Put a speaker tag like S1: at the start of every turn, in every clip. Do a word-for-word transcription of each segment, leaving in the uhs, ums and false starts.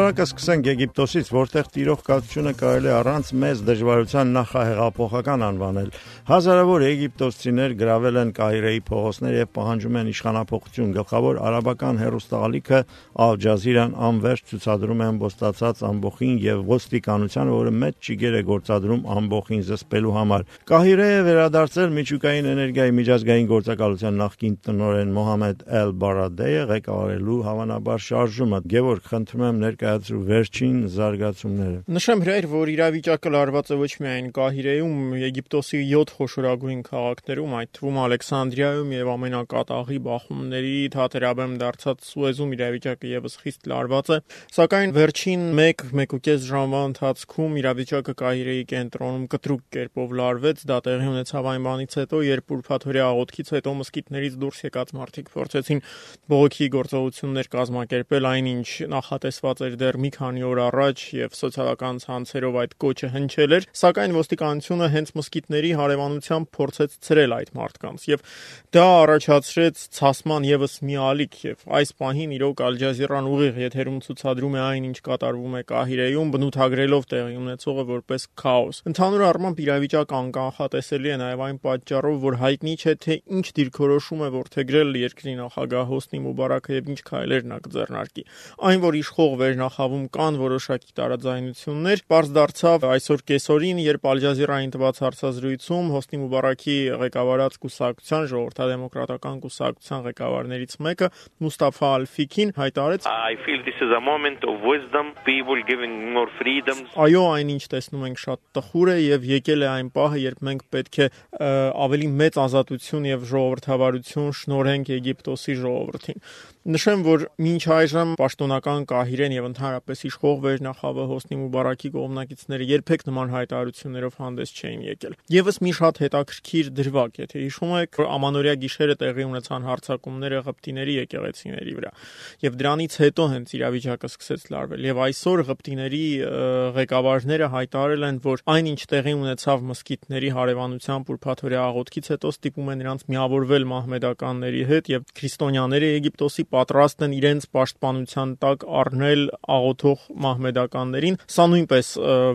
S1: Շարունակը սկսենք Եգիպտոսից, որտեղ տիրող կացությունը կարելի առանց մեծ դժվարության նախահեղափոխական անվանել։ Հազարավոր եգիպտոսցիներ գրավել են Կահիրեի փողոցներ եւ պահանջում են իշխանափոխություն։ Գլխավոր արաբական հեռուստաալիքը Al Jazeera-ն անվերջ ցուցադրում է ամբոստացած ամբոխին եւ ոստիկանությանը, որը մեծ ճիգեր է գործադրում ամբոխին զսպելու համար։ Կահիրեը վերադարձել միջուկային էներգիայի միջազգային գործակալության նախկին տնօրեն Մոհամեդ Էլ-Բարադեը ղեկավարելու հավանաբար շարժումը։ Գևորգ, խնդրում եմ ներկայացրու վերջին զարգացումները։
S2: Նշեմ հրայր, որ իրավիճակը լարված է ոչ միայն Կահիրեում, Եգիպտոսի յոթ խոշորագույն քաղաքներում, այդ թվում Ալեքսանդրիայում եւ ամենակատաղի բախումների թատերաբեմ դարձած Սուեզում իրավիճակը եւս խիստ լարված է, սակայն վերջին մեկ-մեկուկես ժամվա ընթացքում իրավիճակը Կահիրեի կենտրոնում կտրուկ կերպով լարվեց։ Դա տեղի ունեցավ այն բանից հետո, երբ ուրբաթօրյա աղոթքից հետո մզկիթներից դուրս եկած մարդիկ փորձեցին բողոքի գործողություններ կազմակերպել, այնինչ նախատեսված էր դեռ մի քանի օր առաջ եւ սոցիալական ցանցերով այդ կոչը հնչել էր, սակայն ոստիկանությունը հենց մզկիթների հարևանությամբ փորձեց ցրել այդ մարդկանց եւ դա առաջացրեց ցասման եւս մի ալիք եւ այս պահին իրոք Al Jazeera-ն ուղիղ եթերում ցուցադրում է այն, ինչ կատարվում է Կահիրեում, բնութագրելով տեղի ունեցողը որպես քաոս։ Ընդհանուր առմամբ իրավիճակը անկանխատեսելի է նաեւ այն պատճառով, որ հայտնի չէ թե ինչ դիրքորոշում է որդեգրել երկրի նախագահ Հոսնի Մուբարակը եւ ինչ քայլեր նա կձեռնարկի։ Այն, որ իշխող վերնախավում կան որոշակի տարաձայնություններ, պարզ դարձավ այսօր կեսօրին, երբ Al Jazeera-ին տված հարցազրույցում Հոսնի Մուբարակի ղեկավարած կուսակցության ժողովրդադեմոկրատական կուսակցության ղեկավարներից մեկը Մուստաֆա Ալ-Ֆիքին հայտարարեց.
S3: I feel this is a moment of wisdom, people giving more freedoms.
S2: Այո, այնինչ տեսնում ենք շատ տխուր է եւ եկել է այն պահը, երբ մենք պետք է ավելի մեծ ազատություն եւ ժողովրդավարություն շնորհենք Եգիպտոսի ժողովրդին։ Նշեմ, որ մինչ այժմ պաշտոնական Կահիրեն եւ ընդհանրապես իշխող վերնախավը Հոսնի Մուբարակի կողմնակիցները երբեք նման հայտարարություններով հանդես չէին եկել։ Եվս մի շատ հետաքրքիր դրվագ, եթե հիշում եք, ամանորյա գիշերը տեղի ունեցան հարձակումները Ղպտիների եկեղեցիների վրա, եւ դրանից հետո հենց իրավիճակը սկսեց լարվել։ Եվ այսօր Ղպտիների ղեկավարները հայտարարել են, որ այնինչ տեղի ունեցավ մզկիթների հարևանությամբ ուրբաթօրյա աղոթքից հետո ստիպում է նրանց միավորվել մահմեդականների հետ եւ քրիստոնյաները Եգիպտոսի պատրաստ են իրենց պաշտպանության տակ առնել աղոթող մահմեդականներին։ Սա նույնպես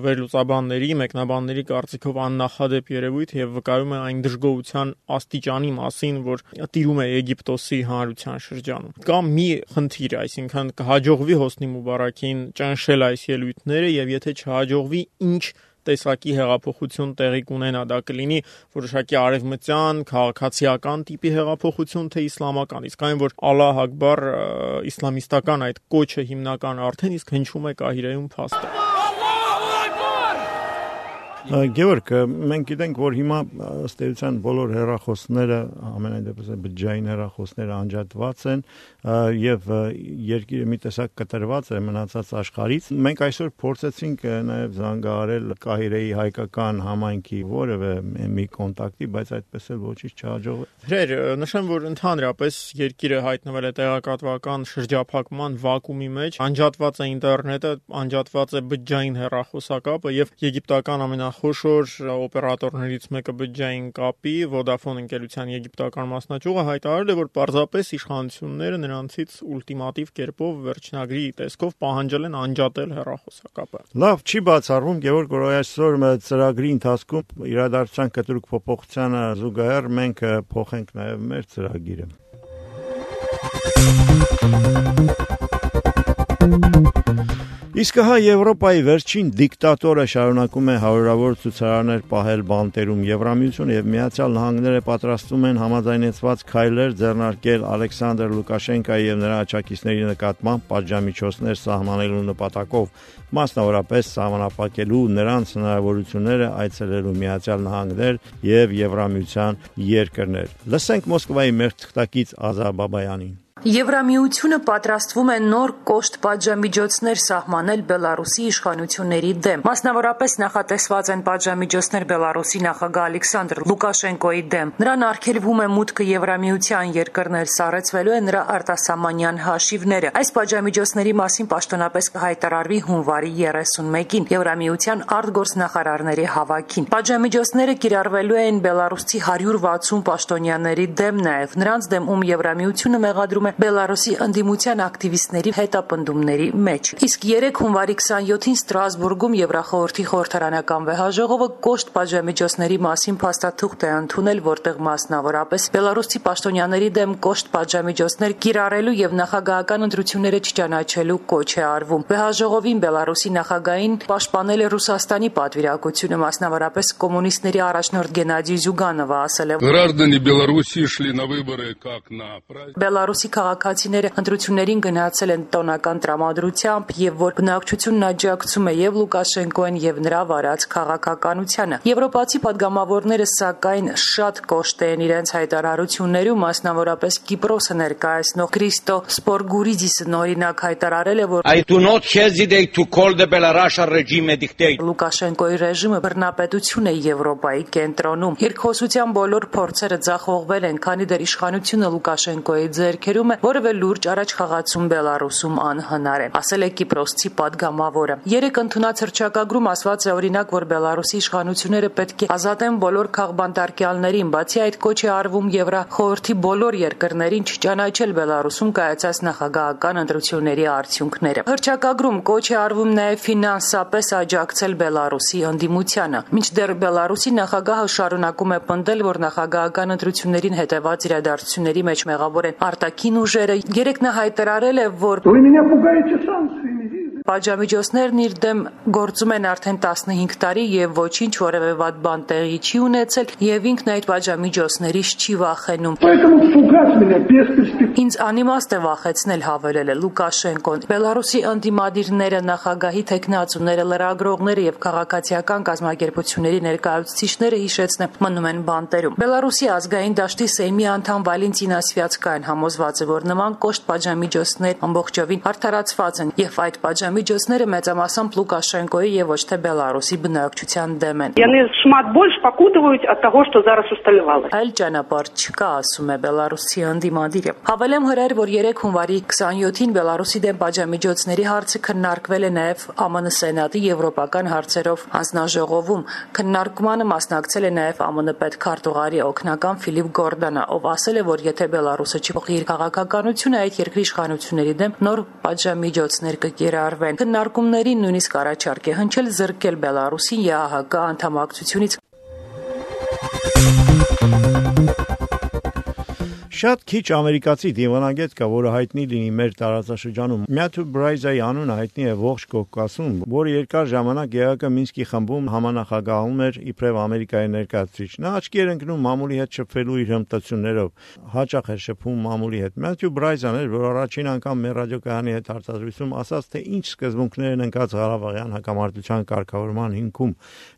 S2: վերլուծաբանների, մեկնաբանների կարծիքով աննախադեպ երևույթ եւ վկայում է այն դժգոհության աստիճանի մասին, որ տիրում է Եգիպտոսի հանրության շրջանում։ Կա մի խնդիր, այսինքն կհաջողվի Հոսնի Մուբարակին ճնշել այս ելույթները եւ եթե չհաջողվի, ինչ տեսակի հեղափոխություն տեղի կունենա, դա կլինի որոշակի արևմտյան քաղաքացիական տիպի հեղափոխություն, թե իսլամական, իսկ այն, որ Ալլահ Ակբար իսլամիստական այդ կոչը հիմնական արդեն իսկ հնչում է Կահիրեում փաստ է։
S1: Գևորգ, մենք գիտենք, որ հիմա ըստ էության բոլոր հեռախոսները, ամենայն դեպս բջջային հեռախոսները անջատված են եւ երկիրը մի տեսակ կտրված է մնացած աշխարհից։ Մենք այսօր փորձեցինք նաեւ զանգահարել Կահիրեի հայկական համայնքի որևէ մի կոնտակտի, բայց այդպես էլ ոչինչ չհաջողվեց։
S2: Հրեր, նշեմ, որ ընդհանրապես երկիրը հայտնվել է տեղեկատվական շրջափակման վակուումի մեջ, անջատված է ինտերնետը, անջատված է բջջային հեռախոսակապը եւ եգիպտական ամենա խոշոր օպերատորներից մեկը բջջային կապի Vodafone ընկերության եգիպտական մասնաճյուղը հայտարարել է, որ պարզապես իշխանությունները նրանցից ուլտիմատիվ կերպով վերջնագրի տեսքով պահանջել են անջատել հեռախոսակապը։
S1: Լավ, չի բացառվում, Գևորգ, որ այսօր ծրագրի ընթացքում իրադարձության կտրուկ փոփոխությանը զուգահեռ մենք փոխենք նաև մեր ծրագիրը։ Իսկ հա Եվրոպայի վերջին դիկտատորը շարունակում է հարյուրավոր ցուցարարներ պահել բանտերում։ Եվրամիությունը եւ Միացյալ Նահանգները պատրաստվում են համաձայնեցված քայլեր ձեռնարկել Ալեքսանդր Լուկաշենկոյի եւ նրա աջակիցների նկատմամբ պատժամիջոցներ սահմանելու նպատակով, մասնավորապես սահմանափակելու նրանց հնարավորությունները այցելելու Միացյալ Նահանգներ եւ Եվրամիության երկրներ։ Լսենք Մոսկվայի մեր թղթակից Ազա Բաբայանին։
S4: Եվրամիությունը պատրաստվում է նոր կոշտ պատժամիջոցներ սահմանել Բելարուսի իշխանությունների դեմ։ Մասնավորապես նախատեսված են պատժամիջոցներ Բելարուսի նախագահ Ալեքսանդր Լուկաշենկոյի դեմ։ Նրան արգելվում է մուտքը Եվրամիության երկրներ, սառեցվելու է նրա արտասահմանյան հաշիվները։ Այս պատժամիջոցների մասին պաշտոնապես կհայտարարվի հունվարի երեսունմեկին Եվրամիության արտգործնախարարների հավաքին։ Պատժամիջոցները կիրառվելու են Բելարուսի հարյուր վաթսուն պաշտոնյաների դեմ, նաև նրանց դեմ, ում Եվրամիությունը մեղադրում գտնվում է Բելարուսի ընդդիմության ակտիվիստների հետապնդումների մեջ։ Իսկ երեկ հունվարի քսանյոթին Ստրասբուրգում Եվրախորհրդի խորհրդարանական վեհաժողովը կոշտ պատժամիջոցների մասին փաստաթուղթ է ընդունել, որտեղ մասնավորապես Բելարուսի պաշտոնյաների դեմ կոշտ պատժամիջոցներ կիրառելու եւ նախագահական ընտրությունները չճանաչելու կոչ է արվում։ Վեհաժողովին Բելարուսի նախագահին պաշտպանել է Ռուսաստանի պատվիրակությունը, մասնավորապես կոմունիստների առաջնորդ Գենադի Զյուգանովը ասել է.
S5: Граждане Беларуси шли на выборы как на праздник.
S4: Բելարուսի քաղաքացիները ընտրություններին գնացել են տոնական տրամադրությամբ եւ որ բնակչությունն աջակցում է եւ Լուկաշենկոին եւ նրա վարած քաղաքականությանը։ Եվրոպացի падգամավորները սակայն շատ կոշտ են իրենց հայտարարություններում, մասնավորապես Կիպրոսը ներկայացնող Քրիստո Սպորգուրիդիսը նորինակ հայտարարել է, որ
S6: I do not hesitate to call the Belarusian regime a dictator.
S4: Լուկաշենկոյի ռեժիմը բռնապետություն է Եվրոպայի կենտրոնում։ Երկխոսության բոլոր փորձերը ձախողվել են, քանի դեռ իշխանությունը Լուկաշենկոյի ձեռքերում է, որևէ լուրջ առաջխաղացում Բելարուսում անհնար է, ասել է Կիպրոսցի падգամավորը։ Երեք ընդունած հռչակագրում ասված է օրինակ, որ Բելարուսի իշխանությունները պետք է ազատեն բոլոր քաղբանտարկյալներին, բացի այդ կոչ է արվում Եվրախորհրդի բոլոր երկրներին չճանաչել Բելարուսում կայացած նախագահական ընտրությունների արդյունքները։ Հռչակագրում կոչ է արվում նաև ֆինանսապես աջակցել Բելարուսի ընդդիմությանը։ Մինչդեռ Բելարուսի նախագահը շարունակում է պնդել, որ նախագահական ընտրություններին հետևած իրադարձությունների մեջ մեղավոր են արտաքին ուժերը։ Երեկ նա հայտարարել է, որ պատժամիջոցներն իր դեմ գործում են արդեն տասնհինգ տարի եւ ոչինչ որևէ վատ բան տեղի չի ունեցել եւ ինքն այդ պատժամիջոցներից չի վախենում։ Ինձ անիմաստ է վախեցնել, հավելել է Լուկաշենկոն։ Բելարուսի ընդդիմադիրները, նախագահի թեկնածուները, լրագրողները եւ քաղաքացիական կազմակերպությունների ներկայացուցիչները հիշեցնեն մնում են բանտերում։ Բելարուսի ազգային դաշտի Սեյմի անդամ Վալենտինա Սվյացկայան համոզված է, որ նման կոշտ պատժամիջոցներ ամբողջովին արդարացված են եւ այդ պատժամիջոցները մեծամասամբ Լուկաշենկոյի եւ ոչ թե Բելարուսի բնակչության դեմ են։
S7: Яны шмат больш пакутываюць ад таго, што зараз усталявалася.
S4: Այլ ճանապարհ չկա, ասում է Բելարուսի ընդդիմադիրը։ Հավելեմ հրեր, որ երեկ հունվարի քսանյոթին Բելարուսի դեմ պատժամիջոցների հարցը քննարկվել է նաեւ Է ԱՄՆ Սենատի եվրոպական հարցերով հանձնաժողովում։ Քննարկմանը մասնակցել է նաեւ ԷՄ պետքարտուղարի օգնական Ֆիլիպ Գորդանը, ով ասել է, որ եթե Բելարուսը չփոխի իր քաղաքականությունը, այդ երկրի իշխանությունների դեմ նոր պատժամիջոցներ կկիրառվեն։ Քննարկումներին նույնիսկ առաջարկ է հնչել զրկել Բելարուսին Է Ահ Կը անդամակցությունից։
S1: Շատ քիչ ամերիկացի դիվանագետ կա, որը հայտնի լինի մեր տարածաշրջանում։ Մյաթու Բրայզայի անունը հայտնի է ողջ Կովկասում, որը երկար ժամանակ Է Ա Կը Մինսկի խմբում համանախագահում էր իբրև Ամերիկայի ներկայացուցիչ։ Նա աչքի էր ընկնում մամուլի հետ շփվելու իր հմտություններով, հաճախ էր շփվում մամուլի հետ։ Մյաթու Բրայզան էր, որ առաջին անգամ մեր ռադիոկայանի հետ հարցազրույցում ասաց, թե ինչ սկզբունքներ են ընկած Ղարաբաղյան հակամարտության կարգավորման հիմքում։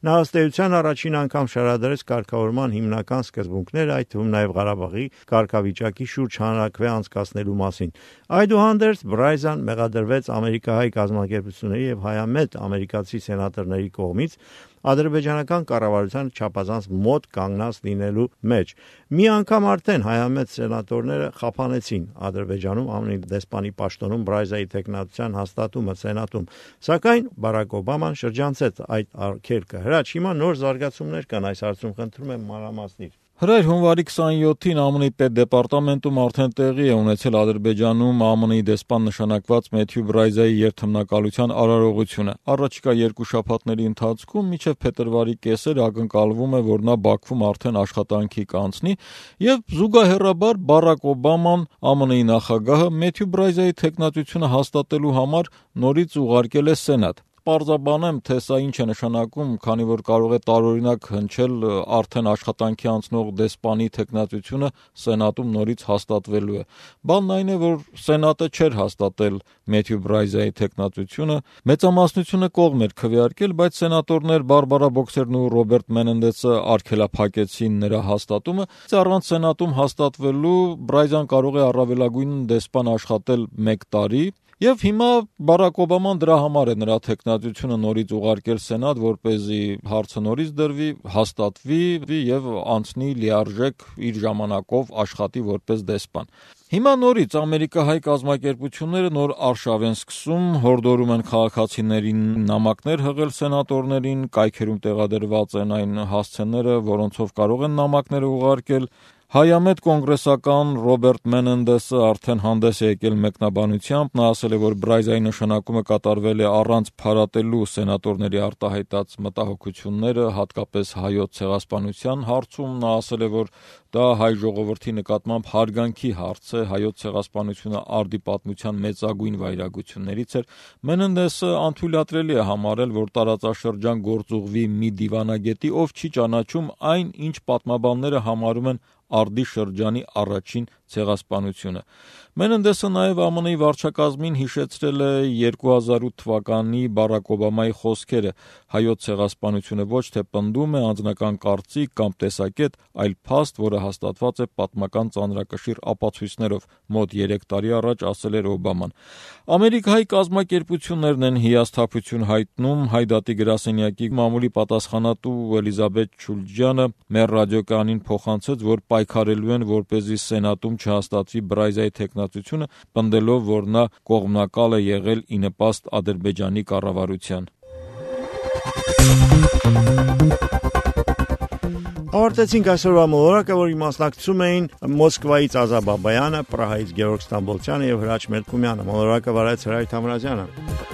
S1: Նա ըստ էության առաջին անգամ շարադրեց կարգավորման հիմնական սկզբունքները, այդ թվում նաև Ղարաբաղի կարգավիճակի շուրջ հանրաքվե անցկացնելու մասին։ Այդուհանդերձ Բրայզան մեղադրվեց ամերիկահայ կազմակերպությունների եւ հայամետ ամերիկացի սենատորների կողմից ադրբեջանական կառավարության չափազանց մոտ կանգնած լինելու մեջ։ Մի անգամ արդեն հայամետ սենատորները խափանեցին Ադրբեջանում Է Մը դեսպանի պաշտոնում Բրայզայի տեխնատության հաստատումը սենատում, սակայն Բարակ Օբաման շրջանցեց այդ արգելքը։ Հրաչ, հիմա նոր զարգացումներ կան այս հարցում, խնդրում եմ մանրամասնիր։
S8: Հրեր հունվարի քսանյոթին Է Մը պետդեպարտամենտում արդեն տեղի է ունեցել Ադրբեջանում Է Մը դեսպան նշանակված Մեթյու Բրայզայի երթմնակալության արարողությունը։ Առաջիկա երկու շաբաթների ընթացքում մինչև փետրվարի կեսեր ակնկալվում է, որ նա Բաքվում արդեն աշխատանքի կանցնի եւ զուգահեռաբար Բարակ Օբաման Է Մը-ի նախագահը Մեթյու Բրայզայի տեխնատությունը հաստատելու համար նորից ուղարկել է Սենատ։ Պարզաբանեմ, թե սա ինչ է նշանակում, քանի որ կարող է տարօրինակ հնչել արդեն աշխատանքի անցնող դեսպանի տեխնատությունը Սենատում նորից հաստատվելու է։ Բանն այն է, որ Սենատը չէր հաստատել Մեթյու Բրայզայի տեխնատությունը, մեծամասնությունը կողմ էր քվեարկել, բայց սենատորներ Բարբարա Բոքսերն ու Ռոբերտ Մենենդեսը արգելափակեցին նրա հաստատումը։ Առանց Սենատում հաստատվելու Բրայզան կարող է առավելագույն դեսպան աշխատել մեկ տարի։ Եվ հիմա Բարակ Օբաման դրա համար է նրա տեխնատությունը նորից ուղարկել Սենատ, որպեսզի հարցը նորից դրվի, հաստատվի եւ անցնի լիարժեք իր ժամանակով աշխատի որպես դեսպան։ Հիմա նորից ամերիկահայ կազմակերպությունները նոր արշավ են սկսում, հորդորում են քաղաքացիներին նամակներ հղել սենատորներին, կայքերում տեղադրված են այն հասցեները, որոնցով կարող են նամակները ուղարկել։ Հայամետ կոնգրեսական Ռոբերտ Մենենդեսը արդեն հանդես է եկել մեկնաբանությամբ, նա ասել է, որ Բրայզայի նշանակումը կատարվել է առանց փարատելու սենատորների արտահայտած մտահոգությունները, հատկապես հայոց ցեղասպանության հարցում, նա ասել է, որ դա հայ ժողովրդի նկատմամբ հարգանքի հարց է, հայոց ցեղասպանությունը արդի պատմության մեծագույն վայրագություններից էր։ Մենենդեսը անթույլատրելի է համարել, որ տարածաշրջան գործուղվի մի դիվանագետի, ով չի ճանաչում այն, ինչ պատմաբանները համարում են արդի շրջանի առաջին ցեղասպանությունը։ Մենենդեսը նաև ԱՄՆ-ի վարչակազմին հիշեցրել է երկու հազար ութ թվականի Բարակ Օբամայի խոսքերը. հայոց ցեղասպանությունը ոչ թե պնդում է անձնական կարծիք կամ տեսակետ, այլ փաստ, որը հաստատված է պատմական ծանրակշիռ ապացույցներով, մոտ երեք տարի առաջ ասել էր Օբաման։ Ամերիկայի կազմակերպություններն են հիասթափություն հայտնում Հայ դատի գրասենյակի մամուլի պատասխանատու Էլիզաբեթ Չուլջյանը մեր ռադիոկայանին փոխանցեց, որ պայքարելու են, որպեսզի Սենատում չհաստատվի Բրայզայի թեկնածությունը, պնդելով, որ նա կողմնակալ է եղել ի նպաստ Ադրբեջանի կառավարության։
S1: Ավարտեցինք այսօրվա մոլորակը, որի մասնակցում էին Մոսկվայից Ազա Բաբայանը, Պրահայից Գևորգ Ստամբոլցյանը եւ Հրաչ Մելքումյանը։ Մոլորակը վարեց Հրայր Թամրազյանը։